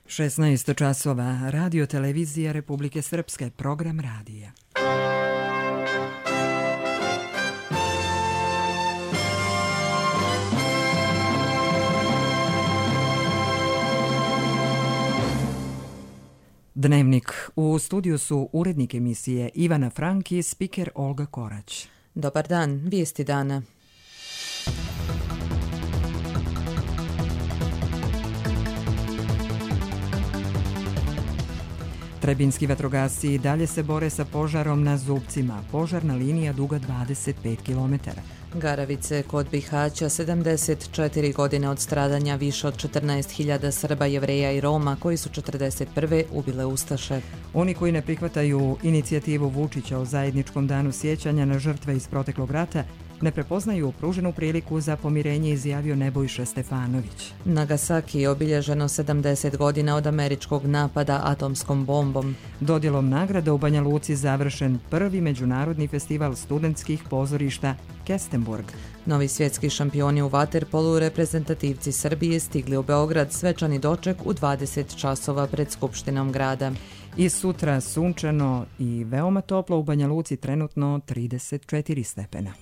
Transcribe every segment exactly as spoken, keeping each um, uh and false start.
šesnaest časova, Radio televizija Republike Srpske, program radija. Dnevnik. U studiju su urednik emisije Ivana Frank i spiker Olga Korać. Dobar dan, vijesti dana. Trebinjski vatrogasci i dalje se bore sa požarom na Zubcima. Požarna linija duga dvadeset pet kilometara. Garavice kod Bihaća, sedamdeset četiri godine od stradanja više od četrnaest hiljada Srba, Jevreja i Roma koji su četrdeset prve ubile ustaše. Oni koji ne prihvataju inicijativu Vučića o zajedničkom danu sjećanja na žrtve iz proteklog rata ne prepoznaju pruženu priliku za pomirenje, izjavio Nebojša Stefanović. Nagasaki je obilježeno sedamdeset godina od američkog napada atomskom bombom. Dodjelom nagrada u Banja Luci završen prvi međunarodni festival studentskih pozorišta Kestenburg. Novi svjetski šampioni u vaterpolu, reprezentativci Srbije, stigli u Beograd, svečani doček u dvadeset časova pred Skupštinom grada. I sutra sunčano i veoma toplo, u Banja Luci trenutno trideset četiri stepena.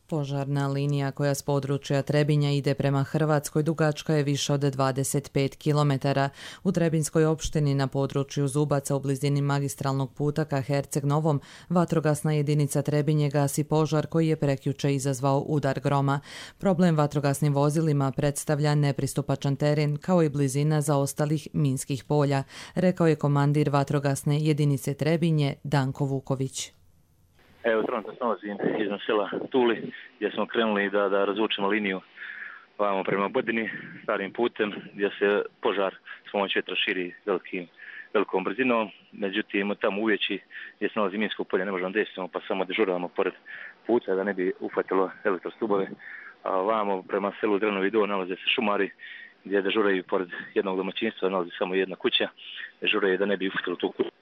Požarna linija koja s područja Trebinja ide prema Hrvatskoj dugačka je više od dvadeset pet kilometara. U Trebinjskoj opštini na području Zubaca u blizini magistralnog puta ka Herceg Novom vatrogasna jedinica Trebinje gasi požar koji je prekjuče izazvao udar groma. Problem vatrogasnim vozilima predstavlja nepristupačan teren kao i blizina zaostalih minskih polja, rekao je komandir vatrogasne jedinice Trebinje Danko Vuković. Evo, trenutno se nalazim iznad sela Tuli, gdje smo krenuli da, da razvučemo liniju vamo prema Bodini, starim putem, gdje se požar s pomoć vjetra širi velikim, velikom brzinom. Međutim, tamo uveći gdje se nalazi minsko polje ne možemo desiti, pa samo dežuramo pored puta da ne bi uhvatilo elektrostubove. A vamo prema selu Drenovi Do nalaze se šumari, gdje dežuraju pored jednog domaćinstva, nalazi samo jedna kuća, dežuraju da ne bi uhvatilo tu kuću.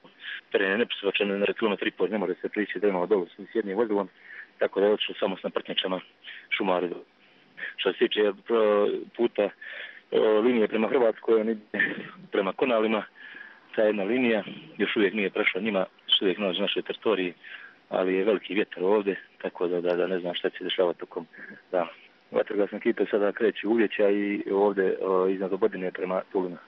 Teren je nepristupačan, na kilometri i pol ne može se prići Drenova dolu s jednim vozilom, tako da je otišlo samo s naprtnjačama šumari. Što se tiče puta linije prema Hrvatskoj, prema Konalima, ta jedna linija još uvijek nije prešla njima, još uvijek nalazi na našoj teritoriji, ali je veliki vjetar ovdje, tako da, da, da ne znam šta će se dešavati tokom dana. Vatrogasne ekipe sada kreću uvjeća i ovdje iznad Obodine prema Tulima.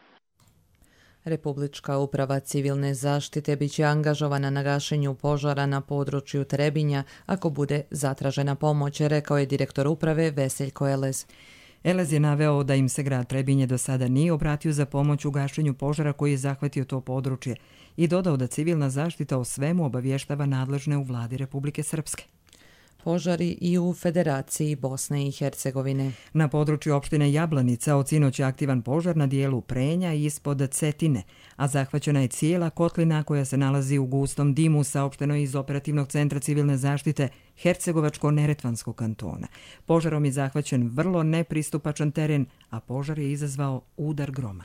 Republička uprava civilne zaštite bit će angažovana na gašenju požara na području Trebinja ako bude zatražena pomoć, rekao je direktor uprave Veseljko Elez. Elez je naveo da im se grad Trebinje do sada nije obratio za pomoć u gašenju požara koji je zahvatio to područje i dodao da civilna zaštita o svemu obavještava nadležne u vladi Republike Srpske. Požari i u Federaciji Bosne i Hercegovine. Na području opštine Jablanica od sinoć je aktivan požar na dijelu Prenja ispod Cetine, a zahvaćena je cijela kotlina koja se nalazi u gustom dimu, saopšteno iz Operativnog centra civilne zaštite Hercegovačko-Neretvanskog kantona. Požarom je zahvaćen vrlo nepristupačan teren, a požar je izazvao udar groma.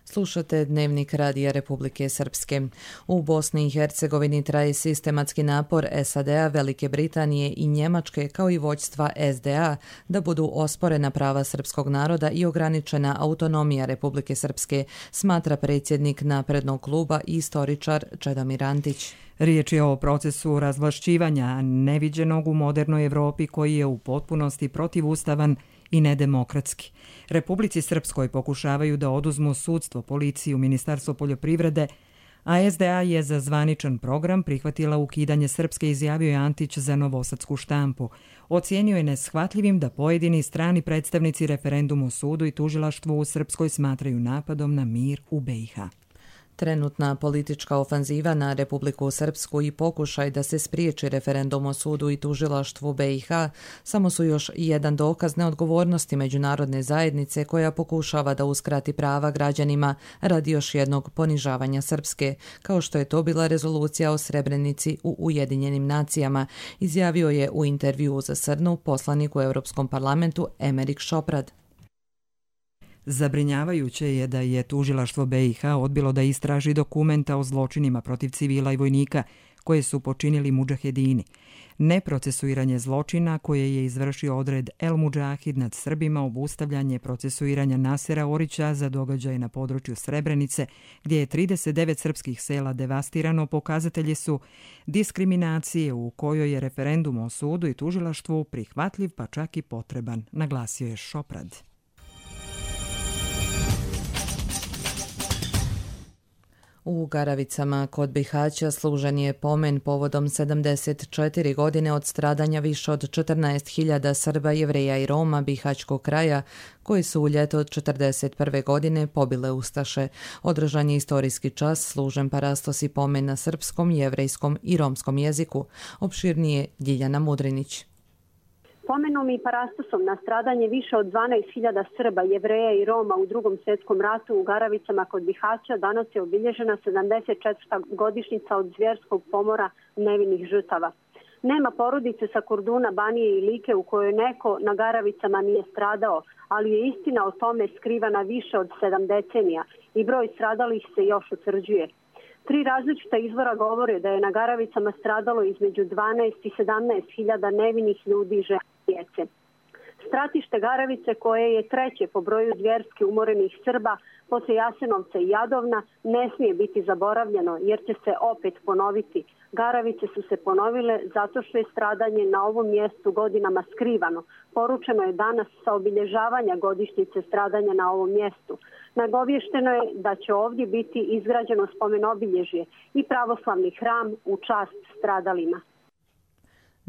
Slušate Dnevnik Radija Republike Srpske. U Bosni i Hercegovini traje sistematski napor S A D-a, Velike Britanije i Njemačke kao i vođstva S D A da budu osporena prava srpskog naroda i ograničena autonomija Republike Srpske, smatra predsjednik Naprednog kluba i istoričar Čedomir Antić. Riječ je o procesu razvlašćivanja neviđenog u modernoj Evropi koji je u potpunosti protivustavan i nedemokratski. Republici Srpskoj pokušavaju da oduzmu sudstvo, policiju, Ministarstvo poljoprivrede, a S D A je za zvaničan program prihvatila ukidanje Srpske, izjavio je Antić za Novosadsku štampu. Ocijenio je neshvatljivim da pojedini strani predstavnici referendum o sudu i tužilaštvu u Srpskoj smatraju napadom na mir u B i H. Trenutna politička ofanziva na Republiku Srpsku i pokušaj da se spriječi referendum o sudu i tužilaštvu B i H samo su još jedan dokaz neodgovornosti međunarodne zajednice koja pokušava da uskrati prava građanima radi još jednog ponižavanja Srpske, kao što je to bila rezolucija o Srebrenici u Ujedinjenim nacijama, izjavio je u intervjuu za Srnu poslanik u Europskom parlamentu Emerik Šoprad. Zabrinjavajuće je da je tužilaštvo B i H odbilo da istraži dokumenta o zločinima protiv civila i vojnika koje su počinili mudžahedini. Neprocesuiranje zločina koje je izvršio odred El Mudžahid nad Srbima, obustavljanje procesuiranja Nasera Orića za događaje na području Srebrenice, gdje je trideset devet srpskih sela devastirano, pokazatelji su diskriminacije u kojoj je referendum o sudu i tužilaštvu prihvatljiv pa čak i potreban, naglasio je Šoprad. U Garavicama kod Bihaća služen je pomen povodom sedamdeset četiri godine od stradanja više od četrnaest hiljada Srba, Jevreja i Roma bihaćkog kraja koji su u ljeto od četrdeset prve godine pobile ustaše. Održan je istorijski čas služen parastosi pomen na srpskom, jevrejskom i romskom jeziku. Opširnije Ljiljana Mudrinić. Pomenom i parastosom na stradanje više od dvanaest hiljada Srba, Jevreja i Roma u Drugom svjetskom ratu u Garavicama kod Bihaća danas je obilježena sedamdeset četvrta godišnjica od zvjerskog pomora nevinih žrtava. Nema porodice sa Korduna, Banije i Like u kojoj neko na Garavicama nije stradao, ali je istina o tome skrivana više od sedam decenija i broj stradalih se još utvrđuje. Tri različita izvora govore da je na Garavicama stradalo između dvanaest i sedamnaest hiljada nevinih ljudi i žena i djece. Stratište Garavice, koje je treće po broju zvjerski umorenih Srba posle Jasenovca i Jadovna, ne smije biti zaboravljeno jer će se opet ponoviti. Garavice su se ponovile zato što je stradanje na ovom mjestu godinama skrivano. Poručeno je danas sa obilježavanja godišnjice stradanja na ovom mjestu. Nagovješteno je da će ovdje biti izgrađeno spomen obilježje i pravoslavni hram u čast stradalima.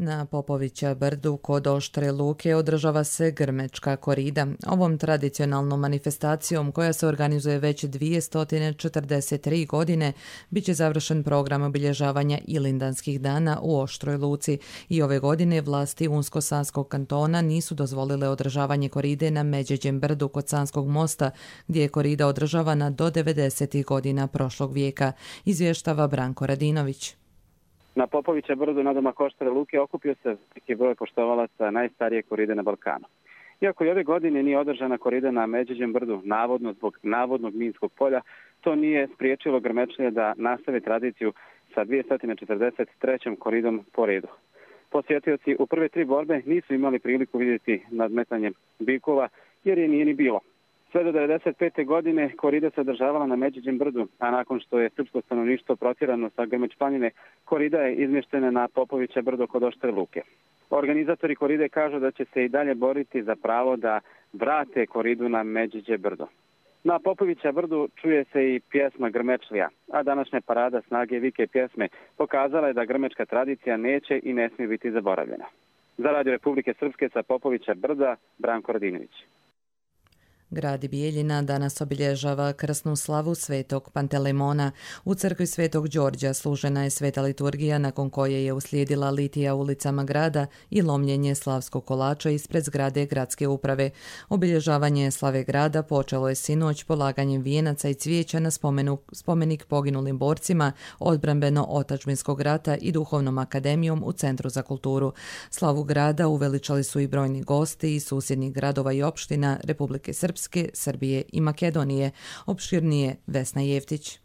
Na Popovića brdu kod Oštre Luke održava se grmečka korida. Ovom tradicionalnom manifestacijom koja se organizuje već dvjesto četrdeset tri godine bit će završen program obilježavanja Ilindanskih dana u Oštroj Luci i ove godine vlasti Unsko-Sanskog kantona nisu dozvolile održavanje koride na Međeđem brdu kod Sanskog mosta gdje je korida održavana do devedesetih godina prošlog vijeka, izvještava Branko Radinović. Na Popovića brdu nadomak Oštre Luke okupio se veliki broj poštovalaca najstarije koride na Balkanu. Iako i ove godine nije održana korida na Međeđem brdu, navodno zbog navodnog minskog polja, to nije spriječilo grmečlije da nastave tradiciju sa dvjesto četrdeset trećom koridom po redu. Posjetioci u prve tri borbe nisu imali priliku vidjeti nadmetanje bikova jer je nije ni bilo. Sve do devedeset pete godine korida se održavala na Međeđem brdu, a nakon što je srpsko stanovništvo protjerano sa Grmeć planine, korida je izmještena na Popovića brdo kod Oštre Luke. Organizatori koride kažu da će se i dalje boriti za pravo da vrate koridu na Međeđe brdo. Na Popovića brdu čuje se i pjesma Grmečlija, a današnja parada snage vike pjesme pokazala je da grmečka tradicija neće i ne smije biti zaboravljena. Za Radio Republike Srpske sa Popovića brda, Branko Radinović. Grad Bijeljina danas obilježava krsnu slavu Svetog Pantelemona. U crkvi Svetog Đorđa služena je sveta liturgija nakon koje je uslijedila litija ulicama grada i lomljenje slavskog kolača ispred zgrade gradske uprave. Obilježavanje slave grada počelo je sinoć polaganjem vijenaca i cvijeća na spomenu, spomenik poginulim borcima odbrambeno-otačbinskog rata i duhovnom akademijom u Centru za kulturu. Slavu grada uveličali su i brojni gosti iz susjednih gradova i opština Republike Srpske, Srbije i Makedonije. Opširnije Vesna Jeftić.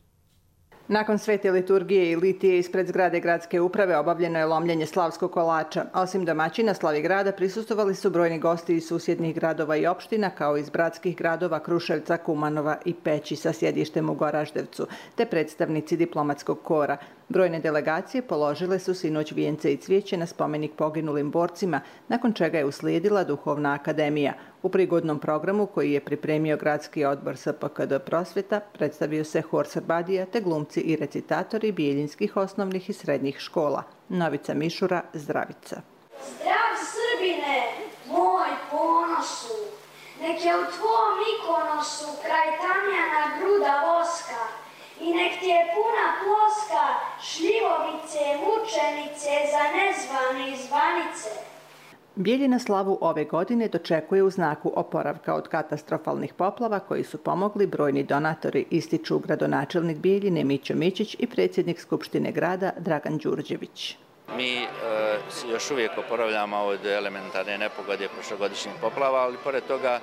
Nakon svete liturgije i litije ispred zgrade gradske uprave obavljeno je lomljenje slavskog kolača. Osim domaćina slavi grada prisustvovali su brojni gosti iz susjednih gradova i opština kao iz bratskih gradova Kruševca, Kumanova i Peći sa sjedištem u Goraždevcu, te predstavnici diplomatskog kora. Brojne delegacije položile su sinoć vijence i cvijeće na spomenik poginulim borcima, nakon čega je uslijedila duhovna akademija. U prigodnom programu koji je pripremio gradski odbor S P K D Prosvjeta predstavio se hor Srbadija te glumci i recitatori bijeljinskih osnovnih i srednjih škola. Novica Mišura, Zdravica. Zdrav Srbine, moj ponosu, nek je u tvom ikonosu kraj tamjana gruda voska i nek ti je puna ploska šljivovice, mučenice za nezvane i zvanice. Bijeljina slavu ove godine dočekuje u znaku oporavka od katastrofalnih poplava koji su pomogli brojni donatori, ističu gradonačelnik Bijeljine Mićo Mićić i predsjednik Skupštine grada Dragan Đurđević. Mi e, još uvijek oporavljamo od elementarne nepogode prošlogodišnjih poplava, ali pored toga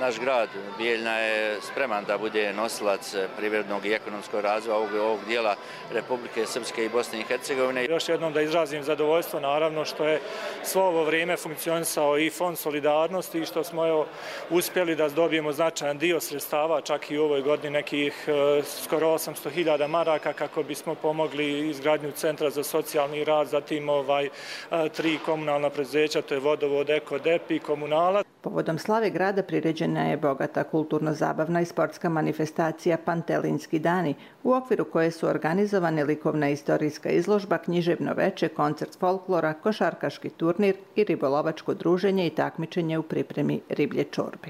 naš grad Bijeljna je spreman da bude nosilac privrednog i ekonomskog razvoja ovog, ovog dijela Republike Srpske i Bosne i Hercegovine. Još jednom da izrazim zadovoljstvo, naravno, što je svo ovo vrijeme funkcionisao i Fond solidarnosti i što smo evo, uspjeli da dobijemo značajan dio sredstava, čak i u ovoj godini nekih e, skoro osamsto hiljada maraka kako bismo pomogli izgradnju centra za socijalni rad, zatim ovaj, e, tri komunalna preduzeća, to je Vodovod, Eko, Dep i Komunala. Povodom slave grada priređena je bogata kulturno-zabavna i sportska manifestacija Pantelinski dani, u okviru koje su organizovane likovna i istorijska izložba, književno veče, koncert folklora, košarkaški turnir i ribolovačko druženje i takmičenje u pripremi riblje čorbe.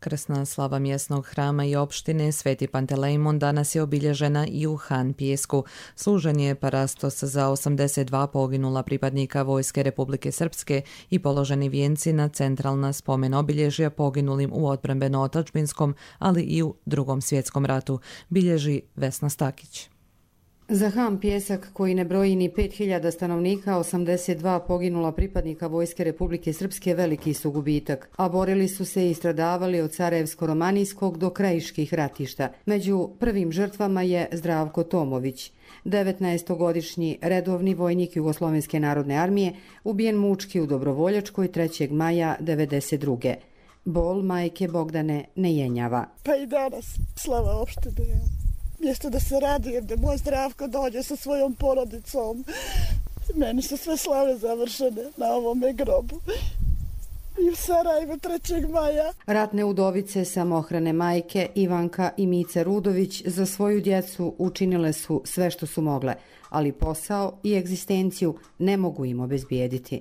Krsna slava mjesnog hrama i opštine Sveti Pantelejmon danas je obilježena i u Han Pijesku. Služen je parastos za osamdeset dva poginula pripadnika Vojske Republike Srpske i položeni vijenci na centralna spomen obilježja poginulim u odbrambeno-otadžbinskom, ali i u Drugom svjetskom ratu, bilježi Vesna Stakić. Za Han Pijesak, koji ne broji ni pet hiljada stanovnika, osamdeset dva poginula pripadnika Vojske Republike Srpske veliki su gubitak, a borili su se i stradavali od Sarajevsko-romanijskog do krajiških ratišta. Među prvim žrtvama je Zdravko Tomović, devetnaestogodišnji redovni vojnik Jugoslovenske narodne armije, ubijen mučki u Dobrovoljačkoj trećeg maja devedeset druge. Bol majke Bogdane ne jenjava. Pa i danas slava opštine. Mjesto da se radujem da moj Zdravko dođe sa svojom porodicom. Meni su sve slave završene na ovome grobu. I u Sarajevu trećeg maja. Ratne udovice samohrane majke Ivanka i Mica Rudović za svoju djecu učinile su sve što su mogle, ali posao i egzistenciju ne mogu im obezbijediti.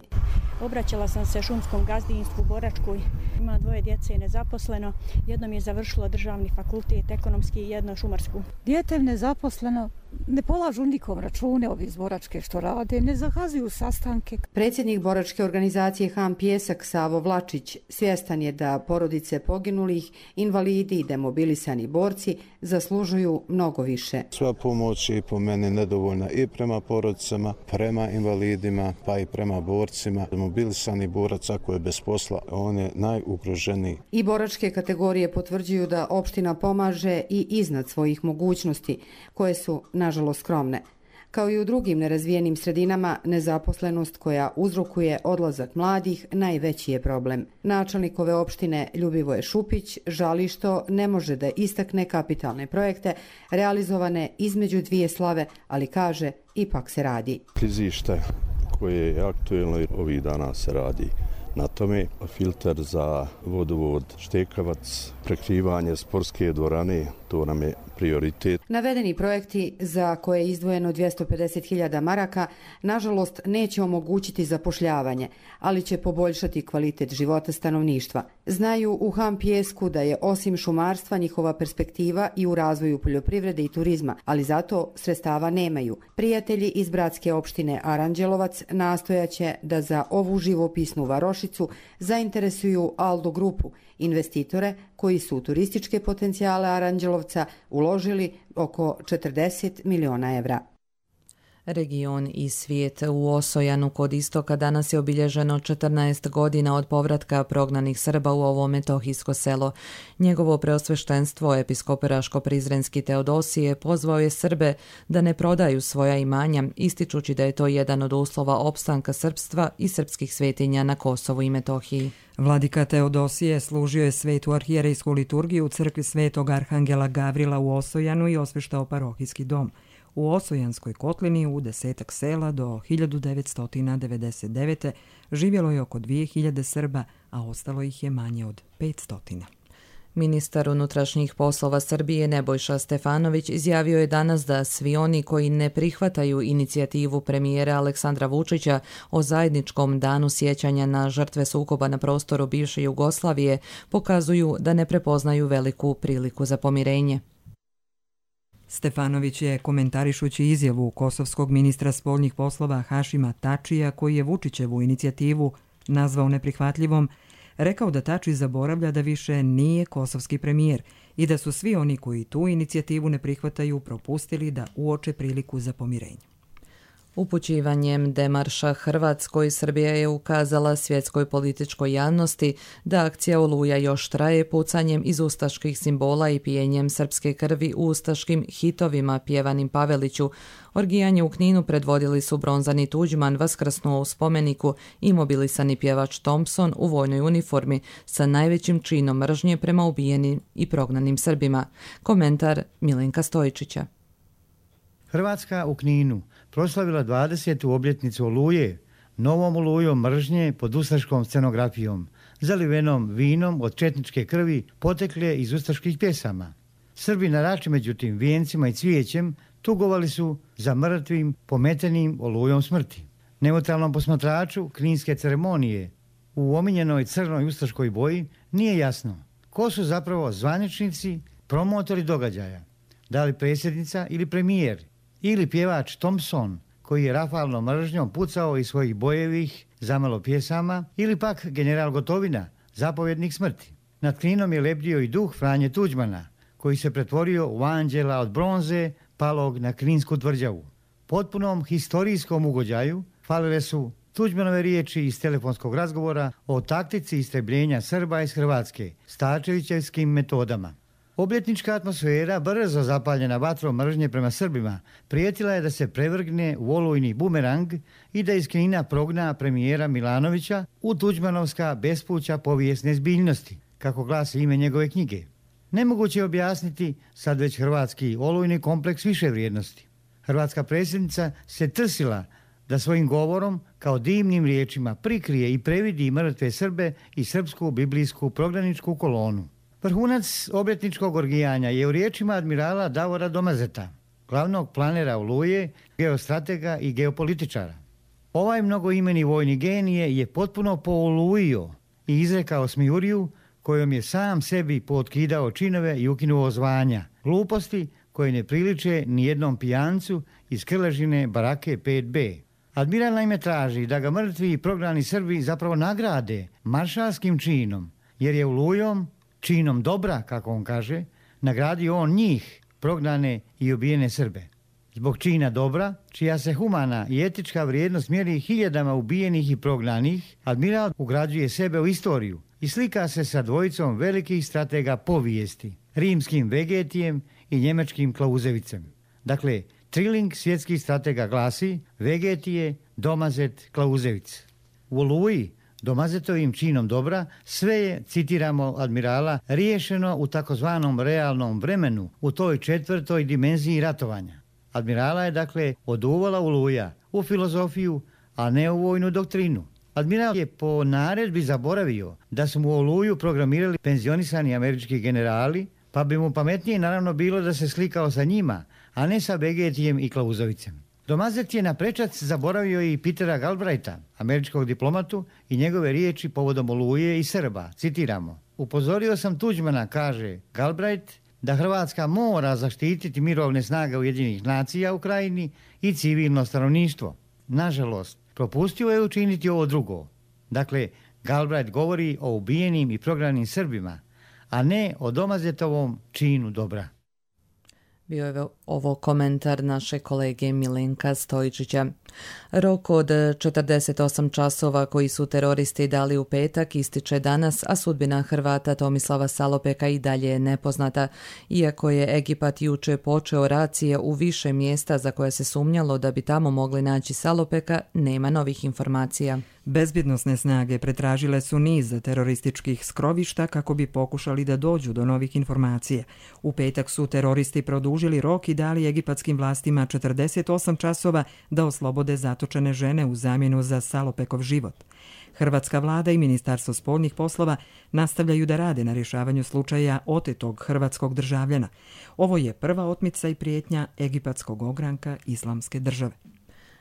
Obraćala sam se šumskom gazdinstvu Boračkoj. Ima dvoje djece i nezaposleno. Jedno mi je završilo državni fakultet, ekonomski i jedno šumarsku. Dijete je nezaposleno, ne polažu nikom račune ovi iz Boračke što rade, ne zakazuju sastanke. Predsjednik Boračke organizacije Han Pijesak Savo Vlačić svjestan je da porodice poginulih, invalidi i demobilisani borci zaslužuju mnogo više. Sva pomoć je po meni nedovoljna i prema porodicama, prema invalidima, pa i prema borcima. Demobilisani borac ako je bez posla, on je najugroženiji. I boračke kategorije potvrđuju da opština pomaže i iznad svojih mogućnosti, koje su nažalost skromne. Kao i u drugim nerazvijenim sredinama, nezaposlenost koja uzrokuje odlazak mladih najveći je problem. Načelnik ove opštine Ljubivoje Šupić žali što ne može da istakne kapitalne projekte realizovane između dvije slave, ali kaže ipak se radi. Klizište koje je aktuelno i ovih dana se radi na tome, filter za vodovod Štekavac, prekrivanje sportske dvorane, to nam je prioritet. Navedeni projekti za koje je izdvojeno dvjesto pedeset hiljada maraka nažalost neće omogućiti zapošljavanje, ali će poboljšati kvalitet života stanovništva. Znaju u Han Pijesku da je osim šumarstva njihova perspektiva i u razvoju poljoprivrede i turizma, ali zato sredstava nemaju. Prijatelji iz bratske opštine Aranđelovac nastojaće da za ovu živopisnu varošicu zainteresuju Aldo grupu, investitore koji su u turističke potencijale Aranđelovca uložili oko četrdeset miliona evra. Region i svijet. U Osojanu kod istoka danas je obilježeno četrnaest godina od povratka prognanih Srba u ovo metohijsko selo. Njegovo preosveštenstvo, episkop Raško-Prizrenski Teodosije, pozvao je Srbe da ne prodaju svoja imanja, ističući da je to jedan od uslova opstanka srpstva i srpskih svetinja na Kosovu i Metohiji. Vladika Teodosije služio je svetu arhijerejsku liturgiju u crkvi Svetog Arhangela Gavrila u Osojanu i osveštao parohijski dom. U Osojanskoj kotlini u desetak sela do hiljadu devetsto devedeset devete. živjelo je oko dvije hiljade Srba, a ostalo ih je manje od petsto. Ministar unutrašnjih poslova Srbije Nebojša Stefanović izjavio je danas da svi oni koji ne prihvataju inicijativu premijera Aleksandra Vučića o zajedničkom danu sjećanja na žrtve sukoba na prostoru bivše Jugoslavije pokazuju da ne prepoznaju veliku priliku za pomirenje. Stefanović je, komentarišući izjavu kosovskog ministra spoljnih poslova Hašima Tačija, koji je Vučićevu inicijativu nazvao neprihvatljivom, rekao da Tači zaboravlja da više nije kosovski premijer i da su svi oni koji tu inicijativu ne prihvataju propustili da uoče priliku za pomirenje. Upućivanjem demarša Hrvatskoj, Srbija je ukazala svjetskoj političkoj javnosti da akcija Oluja još traje pucanjem iz ustaških simbola i pijenjem srpske krvi u ustaškim hitovima pjevanim Paveliću. Orgijanje u Kninu predvodili su bronzani Tuđman vaskrsnuo u spomeniku i mobilisani pjevač Thompson u vojnoj uniformi sa najvećim činom mržnje prema ubijenim i prognanim Srbima. Komentar Milenka Stojičića. Hrvatska u Kninu proslavila dvadesetu obljetnicu Oluje, novom olujom mržnje pod ustaškom scenografijom, zalivenom vinom od četničke krvi potekle iz ustaških pjesama. Srbi na Rači, međutim, vijencima i cvijećem tugovali su za mrtvim pometenim olujom smrti. Neutralnom posmatraču kninske ceremonije u omiljenoj crnoj ustaškoj boji nije jasno ko su zapravo zvaničnici, promotori događaja. Da li predsjednica ili premijer, ili pjevač Thompson, koji je rafalnom mržnjom pucao iz svojih bojevih zamalo pjesama, ili pak general Gotovina, zapovjednik smrti. Nad Kninom je lebdio i duh Franje Tuđmana, koji se pretvorio u anđela od bronze palog na Kninsku tvrđavu. Potpunom historijskom ugođaju falile su Tuđmanove riječi iz telefonskog razgovora o taktici istrebljenja Srba iz Hrvatske Starčevićevskim metodama. Obljetnička atmosfera, brzo zapaljena vatrom mržnje prema Srbima, prijetila je da se prevrgne u olujni bumerang i da iz Knina progna premijera Milanovića u Tuđmanovska bespuća povijesne zbiljnosti, kako glasi ime njegove knjige. Nemoguće je objasniti sad već hrvatski olujni kompleks više vrijednosti. Hrvatska predsjednica se trsila da svojim govorom kao divnim riječima prikrije i previdi mrtve Srbe i srpsku biblijsku prognaničku kolonu. Vrhunac obljetničkog orgijanja je u riječima admirala Davora Domazeta, glavnog planera Oluje, geostratega i geopolitičara. Ovaj mnogoimeni vojni genije je potpuno poolujio i izrekao smijuriju kojom je sam sebi pootkidao činove i ukinuo zvanja, gluposti koje ne priliče ni jednom pijancu iz Krležine barake pet be. Admiral naime traži da ga mrtvi i prognani Srbi zapravo nagrade maršalskim činom, jer je Olujom, činom dobra, kako on kaže, nagradio on njih, prognane i ubijene Srbe. Zbog čina dobra, čija se humana i etička vrijednost mjeri hiljadama ubijenih i prognanih, admiral ugrađuje sebe u istoriju i slika se sa dvojicom velikih stratega povijesti, rimskim Vegetijem i njemačkim Klauzevicem. Dakle, triling svjetskih stratega glasi Vegetije, Domazet, Klauzevic. U Oluji, Domazetovim činom dobra, sve je, citiramo admirala, riješeno u takozvanom realnom vremenu, u toj četvrtoj dimenziji ratovanja. Admirala je dakle oduvala Oluja u filozofiju, a ne u vojnu doktrinu. Admiral je po naredbi zaboravio da su mu Oluju programirali penzionisani američki generali, pa bi mu pametnije naravno bilo da se slikao sa njima, a ne sa Vegetijem i Klauzovicem. Domazet je na prečac zaboravio i Petera Galbraitha, američkog diplomatu, i njegove riječi povodom Oluje i Srba. Citiramo: upozorio sam Tuđmana, kaže Galbraith, da Hrvatska mora zaštititi mirovne snage Ujedinjenih nacija u Krajini i civilno stanovništvo. Nažalost, propustio je učiniti ovo drugo. Dakle, Galbraith govori o ubijenim i prognanim Srbima, a ne o Domazetovom činu dobra. Bio je ovo komentar naše kolege Milenka Stojičića. Rok od četrdeset osam časova koji su teroristi dali u petak ističe danas, a sudbina Hrvata Tomislava Salopeka i dalje je nepoznata. Iako je Egipat juče počeo racije u više mjesta za koje se sumnjalo da bi tamo mogli naći Salopeka, nema novih informacija. Bezbjednosne snage pretražile su niz terorističkih skrovišta kako bi pokušali da dođu do novih informacija. U petak su teroristi produžili rok i dali egipatskim vlastima četrdeset osam časova da oslobode zatočene žene u zamjenu za Salopekov život. Hrvatska vlada i Ministarstvo spoljnih poslova nastavljaju da rade na rješavanju slučaja otetog hrvatskog državljana. Ovo je prva otmica i prijetnja egipatskog ogranka Islamske države.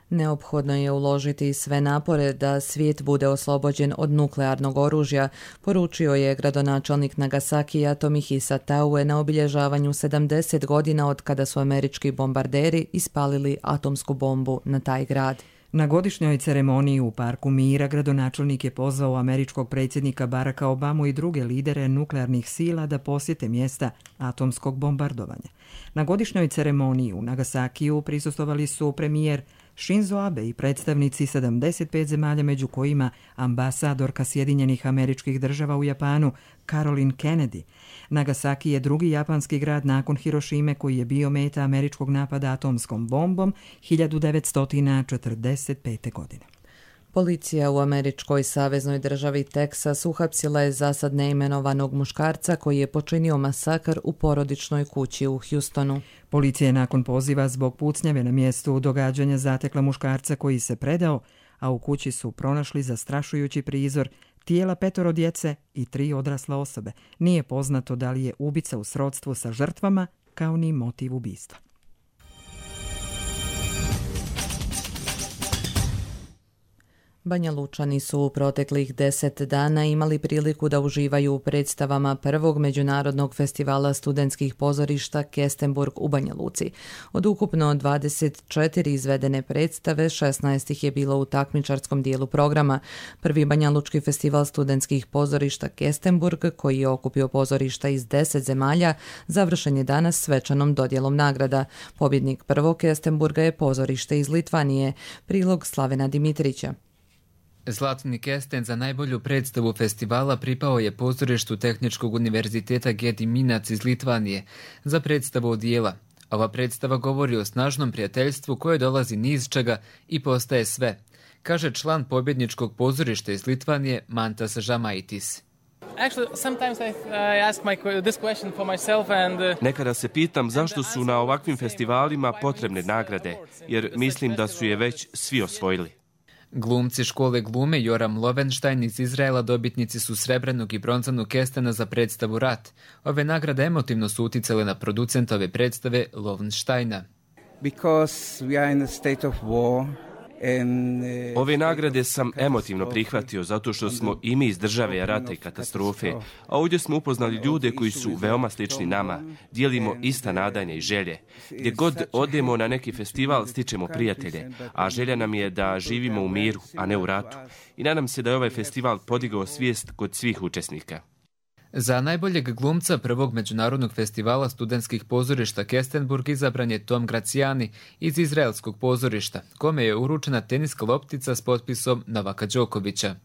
Neophodno je uložiti sve napore da svijet bude oslobođen od nuklearnog oružja, poručio je gradonačelnik Nagasakija Tomihisa Taue na obilježavanju sedamdeset godina od kada su američki bombarderi ispalili atomsku bombu na taj grad. Na godišnjoj ceremoniji u Parku mira gradonačelnik je pozvao američkog predsjednika Baracka Obamu i druge lidere nuklearnih sila da posjete mjesta atomskog bombardovanja. Na godišnjoj ceremoniji u Nagasakiju prisustvovali su premijer Shinzo Abe i predstavnici sedamdeset pet zemalja, među kojima ambasadorka Sjedinjenih Američkih Država u Japanu Caroline Kennedy. Nagasaki je drugi japanski grad nakon Hirošime koji je bio meta američkog napada atomskom bombom hiljadu devetsto četrdeset pete. godine. Policija u američkoj saveznoj državi Teksas uhapsila je zasad neimenovanog muškarca koji je počinio masakr u porodičnoj kući u Houstonu. Policija je nakon poziva zbog pucnjave na mjestu događanja zatekla muškarca koji se predao, a u kući su pronašli zastrašujući prizor tijela petoro djece i tri odrasle osobe. Nije poznato da li je ubica u srodstvu sa žrtvama, kao ni motiv ubistva. Banja Lučani su u proteklih deset dana imali priliku da uživaju u predstavama prvog međunarodnog festivala studentskih pozorišta Kestenburg u Banja Luci. Od ukupno dvadeset četiri izvedene predstave, šesnaest ih je bilo u takmičarskom dijelu programa. Prvi Banja Lučki festival studentskih pozorišta Kestenburg, koji je okupio pozorišta iz deset zemalja, završen je danas svečanom dodjelom nagrada. Pobjednik prvog Kestenburga je pozorište iz Litvanije. Prilog Slavena Dimitrića. Zlatni kesten za najbolju predstavu festivala pripao je pozorištu Tehničkog univerziteta Gediminac iz Litvanije za predstavu odijela. Ova predstava govori o snažnom prijateljstvu koje dolazi ni iz čega i postaje sve, kaže član pobjedničkog pozorišta iz Litvanije Mantas Žamaitis. Nekada se pitam zašto su na ovakvim festivalima potrebne nagrade, jer mislim da su je već svi osvojili. Glumci škole glume Joram Lovenstein iz Izraela dobitnici su srebrnog i bronzanog kestena za predstavu Rat. Ove nagrade emotivno su uticale na producentove predstave Lovensteina. Because we are in a state of war. Ove nagrade sam emotivno prihvatio zato što smo i mi iz države rata i katastrofe, a ovdje smo upoznali ljude koji su veoma slični nama, dijelimo ista nadanja i želje. Gdje god odemo na neki festival stičemo prijatelje, a želja nam je da živimo u miru, a ne u ratu. I nadam se da je ovaj festival podigao svijest kod svih učesnika. Za najboljeg glumca prvog međunarodnog festivala studentskih pozorišta Kestenburg izabran je Tom Graciani iz izraelskog pozorišta, kome je uručena teniska loptica s potpisom Novaka Đokovića.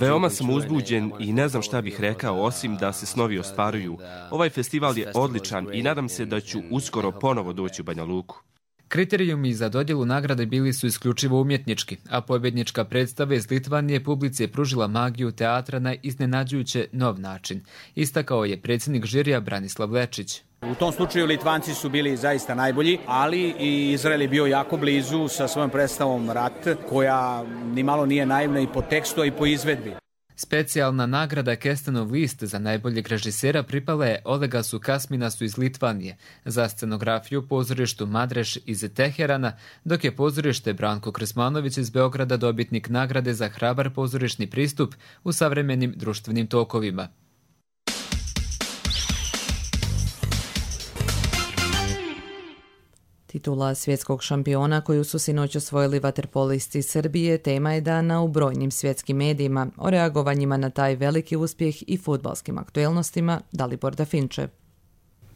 Veoma sam uzbuđen i ne znam šta bih rekao osim da se snovi ostvaruju. Ovaj festival je odličan i nadam se da ću uskoro ponovo doći u Banja Luku. Kriterijumi za dodjelu nagrade bili su isključivo umjetnički, a pobjednička predstava iz Litvanije publici je pružila magiju teatra na iznenađujuće nov način, istakao je predsjednik žirija Branislav Lečić. U tom slučaju Litvanci su bili zaista najbolji, ali i Izrael je bio jako blizu sa svojom predstavom Rat, koja nimalo nije naivna i po tekstu i po izvedbi. Specijalna nagrada Kestenov list za najboljeg režisera pripala je Olegasu Kasminasu iz Litvanije za scenografiju pozorištu Madreš iz Teherana, dok je pozorište Branko Krsmanović iz Beograda dobitnik nagrade za hrabar pozorišni pristup u savremenim društvenim tokovima. Titula svjetskog šampiona koju su sinoć osvojili vaterpolisti Srbije tema je dana u brojnim svjetskim medijima. O reagovanjima na taj veliki uspjeh i fudbalskim aktuelnostima Dalibor Dafinče.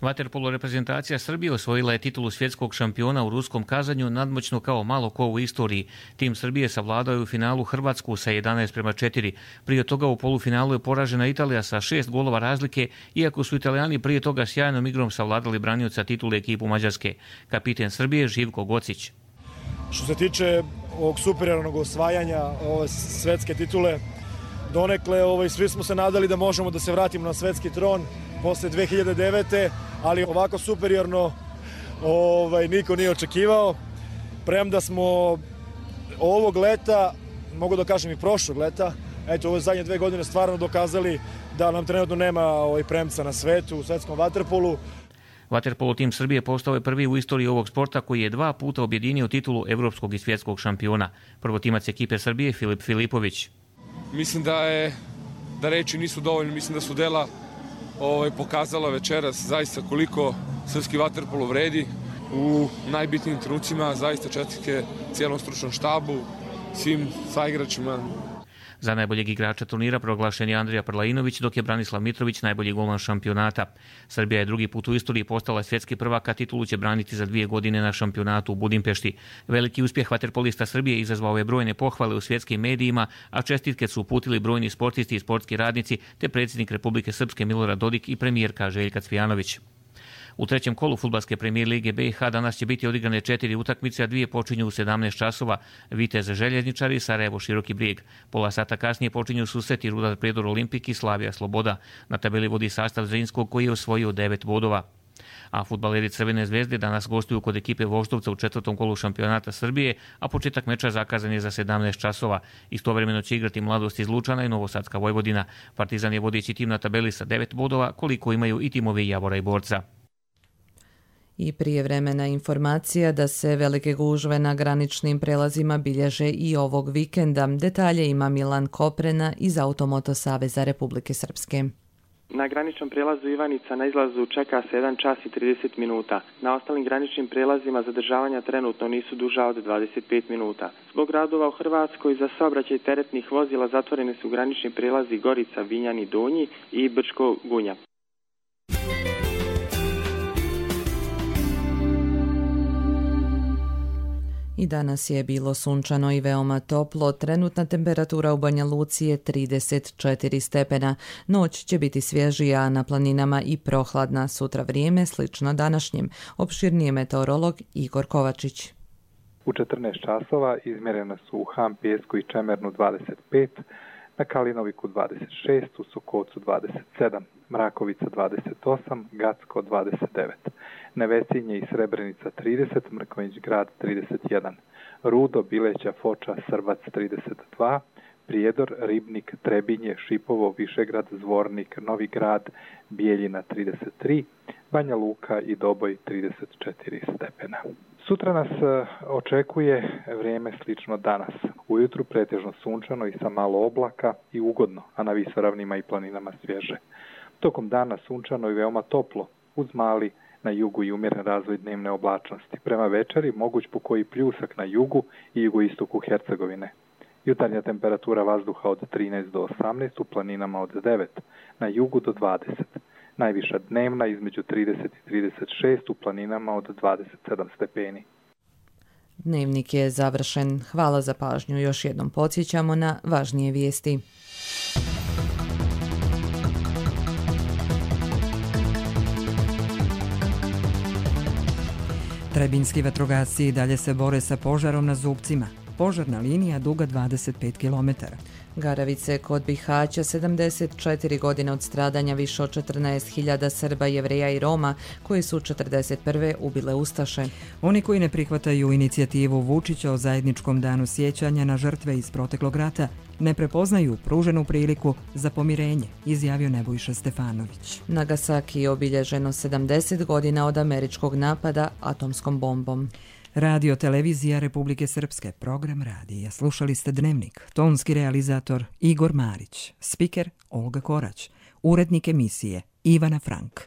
Vaterpolo reprezentacija Srbije osvojila je titulu svjetskog šampiona u ruskom Kazanju nadmoćno kao malo ko u istoriji. Tim Srbije savladao je u finalu Hrvatsku sa jedanaest prema četiri. Prije toga u polufinalu je poražena Italija sa šest golova razlike, iako su Italijani prije toga sjajnom igrom savladali branioca titule ekipu Mađarske. Kapiten Srbije Živko Gocić. Što se tiče ovog superiornog osvajanja ove svetske titule, donekle ovaj, svi smo se nadali da možemo da se vratimo na svetski tron posle dve hiljade devete. ali ovako superiorno ovaj, niko nije očekivao. Premda smo ovog leta, mogu da kažem i prošlog leta, eto ove zadnje dve godine stvarno dokazali da nam trenutno nema ovaj premca na svetu, u svetskom vaterpolu. Vaterpolo tim Srbije postao je prvi u istoriji ovog sporta koji je dva puta objedinio titulu evropskog i svjetskog šampiona. Prvotimac ekipe Srbije Filip Filipović. Mislim da je da reči nisu dovoljne, mislim da su dela ovaj, pokazala večeras zaista koliko srpski vaterpolo vredi u najbitnijim trenucima, zaista čestitke cijelom stručnom štabu, svim saigračima. Za najboljeg igrača turnira proglašen je Andrija Prlainović, dok je Branislav Mitrović najbolji golman šampionata. Srbija je drugi put u istoriji postala svjetski prvak, a titulu će braniti za dvije godine na šampionatu u Budimpešti. Veliki uspjeh vaterpolista Srbije izazvao je brojne pohvale u svjetskim medijima, a čestitke su uputili brojni sportisti i sportski radnici, te predsjednik Republike Srpske Milorad Dodik i premijerka Željka Cvijanović. U trećem kolu fudbalske premijer lige B i H danas će biti odigrane četiri utakmice, a dvije počinju u sedamnaest časova. Vitez Željezničari, Sarajevo Široki Brijeg. Pola sata kasnije počinju susreti Rudar Prijedor Olimpik i Slavija Sloboda. Na tabeli vodi sastav Zrinskog koji je osvojio devet bodova. A fudbaleri Crvene zvezde danas gostuju kod ekipe Voždovca u četvrtom kolu šampionata Srbije, a početak meča zakazan je za sedamnaest časova. Istovremeno će igrati Mladost iz Lučana i Novosadska Vojvodina. Partizan je vodeći tim na tabeli sa devet bodova, koliko imaju i timovi Javora i Borca. I prijevremena informacija da se velike gužve na graničnim prelazima bilježe i ovog vikenda. Detalje ima Milan Koprena iz Automoto Saveza Republike Srpske. Na graničnom prelazu Ivanica na izlazu čeka se jedan čas i trideset minuta. Na ostalim graničnim prelazima zadržavanja trenutno nisu duža od dvadeset pet minuta. Zbog radova u Hrvatskoj za saobraćaj teretnih vozila zatvorene su granični prelazi Gorica, Vinjani, Donji i Brčko, Gunja. I danas je bilo sunčano i veoma toplo. Trenutna temperatura u Banja Luci je trideset četiri stepena. Noć će biti svježija, a na planinama i prohladna. Sutra vrijeme slično današnjem. Opširnije meteorolog Igor Kovačić. U četrnaest časova izmjerene su u Ham Pijesku i Čemernu dvadeset pet, na Kalinoviku dvadeset šest, u Sokocu dvadeset sedam, Mrakovica dvadeset osam, Gacko dvadeset devet, Nevesinje i Srebrenica trideset, Mrkonjić Grad trideset jedan, Rudo, Bileća, Foča, Srbac trideset dva, Prijedor, Ribnik, Trebinje, Šipovo, Višegrad, Zvornik, Novi Grad, Bijeljina trideset tri, Banja Luka i Doboj trideset četiri stepena. Sutra nas očekuje vrijeme slično danas. Ujutru pretežno sunčano i sa malo oblaka i ugodno, a na visoravnima i planinama svježe. Tokom dana sunčano i veoma toplo, uz mali na jugu i umjeren razvoj dnevne oblačnosti. Prema večeri moguć po koji pljusak na jugu i jugoistoku Hercegovine. Jutarnja temperatura vazduha od trinaest do osamnaest, u planinama od devet, na jugu do dvadeset. Najviša dnevna između trideset i trideset šest, u planinama od dvadeset sedam stepeni. Dnevnik je završen. Hvala za pažnju. Još jednom podsjećamo na važnije vijesti. Trebinski vatrogasci i dalje se bore sa požarom na Zubcima. Požarna linija duga dvadeset pet kilometara. Garavice kod Bihaća, sedamdeset četiri godine od stradanja više od četrnaest hiljada Srba, Jevreja i Roma koji su četrdeset prve ubile ustaše. Oni koji ne prihvataju inicijativu Vučića o zajedničkom danu sjećanja na žrtve iz proteklog rata ne prepoznaju pruženu priliku za pomirenje, izjavio Nebojša Stefanović. Nagasaki je obilježeno sedamdeset godina od američkog napada atomskom bombom. Radio Televizija Republike Srpske, program radija. Slušali ste Dnevnik, tonski realizator Igor Marić, spiker Olga Korać, urednik emisije Ivana Frank.